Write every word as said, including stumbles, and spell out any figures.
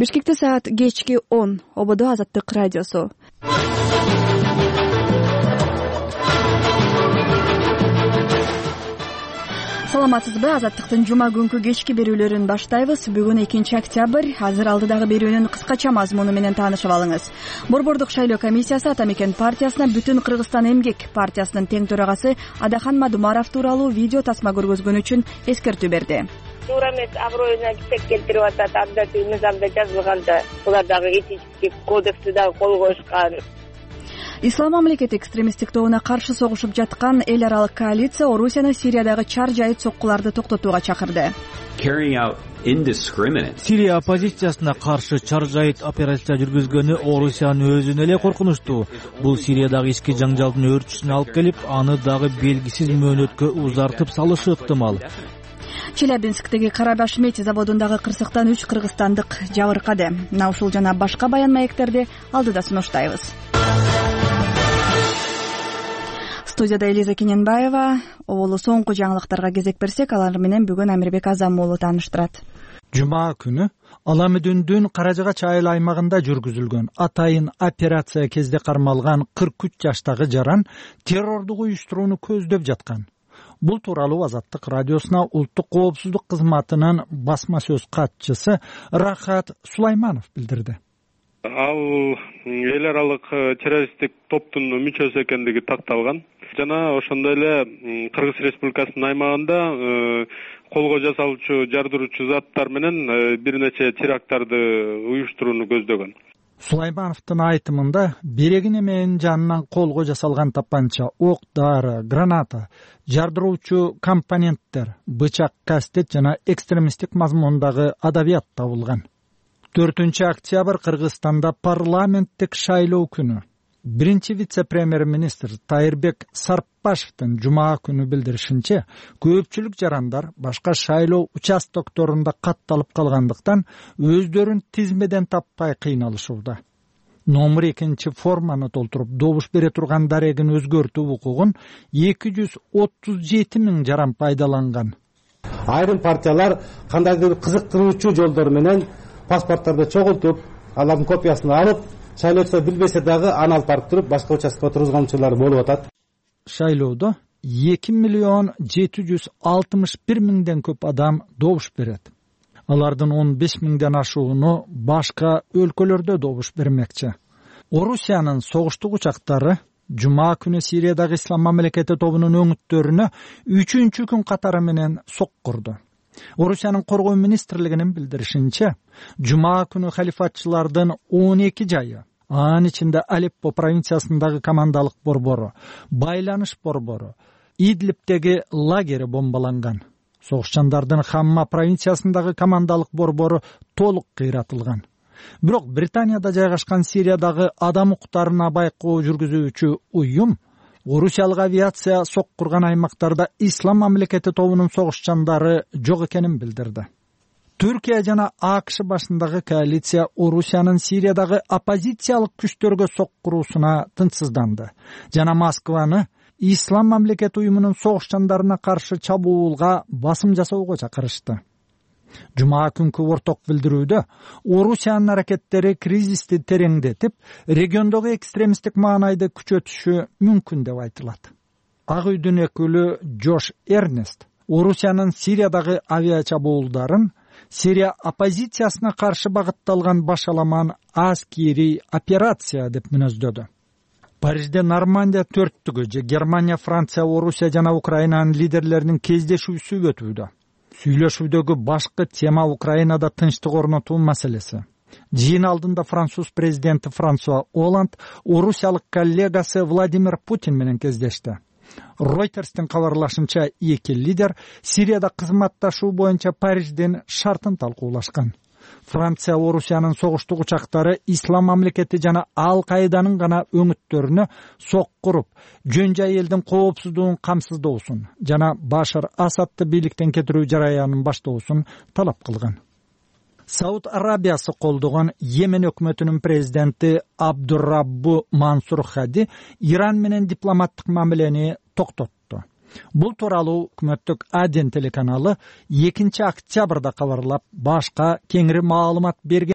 Бишкекте саат кечки он. Ободо Азаттык радиосу. Саламатсызбы? Азаттыктын жума күнкү кечки берүүлөрүн баштайбыз. Бүгүн экинчи октябрь. Азыр алдыдагы берүүнүн кыскача мазмуну менен таанышып алыңыз. Борбордук шайлоо комиссиясы Ата Мекен партиясына Бүтүн Кыргызстан эмгек партиясынын тең төрагасы Адахан Мадумаров тууралуу видео тасма көргөзгөн үчүн эскертүү берди. Туура эмес, аброюна кесек келтирип атат, абдатый мыйзамда жазылганда. Булар дагы этический кодексти дагы кол коюшкан. Ислам мамлекети экстремисттик тобуна каршы согушуп жаткан эл аралык коалиция Орусияны Сириядагы чар жайыт соккуларды токтотууга чакырды. Сирия оппозициясына каршы чар жайыт операция жүргүзгөнү Орусиянын өзүнө эле коркунучтуу. Бул Сириядагы ички жаңжалдын өөрчүшүнө алып келип, аны дагы белгисиз мөөнөткө узартып салышы ыктымал. Челябинсктеги Карабаш Мети заводундагы кырсыктан үч кыргызстандык жабыркады. Мына ушул жана башка баян маектерди алдыда сунуштайбыз. Студияда Элиза Кененбаева. Оболу соңку жаңылыктарга кезек берсек, алар менен бүгүн Амирбек Азам уулу тааныштырат. Жума күнү Аламүдүндүн Каражыгач айыл аймагында жүргүзүлгөн атайын операция кезде кармалган кырк үч жаштагы жаран террордук уюштурууну көздөп жаткан. Бул тууралуу Азаттык радиосуна Улуттук коопсуздук кызматынын басма сөз катчысы Рахат Сулайманов билдирди. Ал эл аралык террористтик топтун мүчөсү экендиги такталган. Жана ошондой эле Кыргыз Республикасынын аймагында колго жасалуучу жардыруучу заттар менен бир нече теракттарды уюштурууну көздөгөн. Сулаймановдун айтымында берегин эменин жанынан колго жасалган тапанча, ок, дары, граната, жардыруучу компоненттер, бычак, кастет жана экстремисттик мазмундагы адабият табылган. төртүнчү октябрь Кыргызстанда парламенттик шайлоо күнү. Биринчи вице-премьер-министр Тайырбек Сарпашевдин жума күнү билдиришинче, көпчүлүк жарандар башка шайлоо участокторунда катталып калгандыктан өздөрүн тизмеден таппай кыйналышууда. Номер экинчи форманы толтуруп добуш бере турган дарегин өзгөртүү укугун эки жүз отуз жети миң жаран пайдаланган. Айрым партиялар кандайдыр кызыктыруучу жолдор менен паспорттарды чогултуп, алардын копиясын алып, шайлоочу билбесе дагы аны алып барып туруп башка участкага тургузгончулар болуп атат. Шайлоодо эки миллион жети жүз алтымыш бир миңден көп адам добуш берет. Алардын он беш миңден ашууну башка өлкөлөрдө добуш бермекчи. Орусиянын согуштук учактары жума күнү Сириядагы Ислам мамлекети тобунун өңүттөрүнө үчүнчү күн катары менен соккурду. Орусиянын коргоо министрлигинин билдиришинче, жума күнү халифатчылардын он эки жайы, анын ичинде Алеппо провинциясындагы командалык борбору, байланыш борбору, Идлибтеги лагери бомбаланган. Согушчандардын Хамма провинциясындагы командалык борбору толук кыйратылган. Бирок Британияда жайгашкан Сириядагы адам укуктарына байкоо жүргүзүүчү уюм Орусиялык авиация соккурган аймактарда Ислам мамлекети тобунун согушчандары жок экенин билдирди. Түркия жана АКШ башындагы коалиция Орусиянын Сириядагы оппозициялык күчтөргө соккуруусуна тынчсызданды жана Москваны Ислам мамлекети уюмунун согушчандарына каршы чабуулга басым жасоого чакырышты. Жума күнкү орток билдирүүдө Орусиянын аракеттери кризисти тереңдетип, региондогу экстремисттик маанайды күчөтүшү мүмкүн деп айтылат. Ак үйдүн өкүлү Джош Эрнест Орусиянын Сириядагы авиачабуулдарын Сирия оппозициясына каршы багытталган башаламан аскери операция деп мүнөздөдү. Парижде Нормандия төрттүгү же Германия, Франция, Орусия жана Украинанын лидерлеринин кездешүүсү өтүүдө. Сүйлөшүүдөгү башкы тема Украинада тынчтык орнотуу маселеси. Жыйын алдында француз президенти Франсуа Оланд орусиялык коллегасы Владимир Путин менен кездешти. Ройтерстин кабарлашынча, эки лидер Сирияда кызматташуу боюнча Париждин шартын талкуулашкан. Франция Орусиянын согуштук учактары Ислам мамлекети жана Ал-Каиданын гана өңүттөрүнө соккуруп, жөн жай элдин коопсуздугун камсыздоосун жана Башар Асадты бийликтен кетирүү жараянын баштоосун талап кылган. Сауд Арабиясы колдогон Йемен өкмөтүнүн президенти Абдурраббу Мансур Хади Иран менен дипломаттык мамилени токтотту. Бул тууралуу өкмөттүк Аден телеканалы экинчи октябрда кабарлап, башка кеңири маалымат берген.